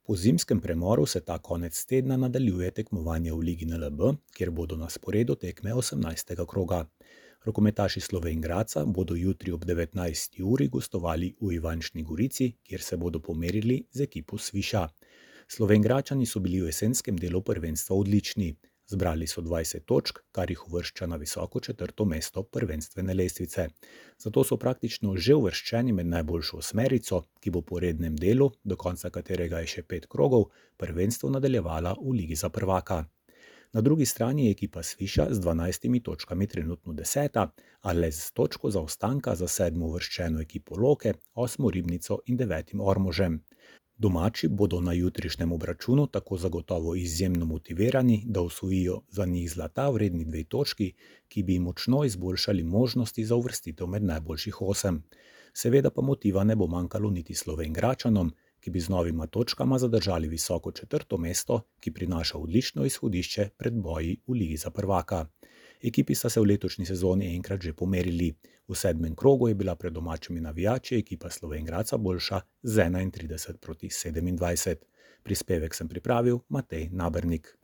Po zimskem premoru se ta konec tedna nadaljuje tekmovanje v Ligi NLB, kjer bodo na sporedu tekme 18. kroga. Rokometaši Slovenj Gradca bodo jutri ob 19. uri gostovali v Ivančni Gorici, kjer se bodo pomerili z ekipo Sviša. Slovenjgradčani so bili v jesenskem delu prvenstva odlični. Zbrali so 20 točk, kar jih uvršča na visoko 4. mesto prvenstvene lestvice. Zato so praktično že uvrščeni med najboljšo osmerico, ki bo po rednem delu, do konca katerega je še 5 krogov, prvenstvo nadaljevala v Ligi za prvaka. Na drugi strani je ekipa Sviša z 12 točkami trenutno 10., a le z točko zaostanka za 7. uvrščeno ekipo Loke, 8. Ribnico in 9. Ormožem. Domači bodo na jutrišnjem obračunu tako zagotovo izjemno motivirani, da osvojijo za njih zlata vredni 2 točki, ki bi jim močno izboljšali možnosti za uvrstitev med najboljših 8. Seveda pa motiva ne bo manjkalo niti Slovenjgradčanom, ki bi z novima točkama zadržali visoko 4. mesto, ki prinaša odlično izhodišče pred boji v Ligi za prvaka. Ekipi sta se v letošnji sezoni enkrat že pomerili. V 7. krogu je bila pred domačimi navijači ekipa Slovenj Gradca boljša z 31 proti 27. Prispevek sem pripravil Matej Nabernik.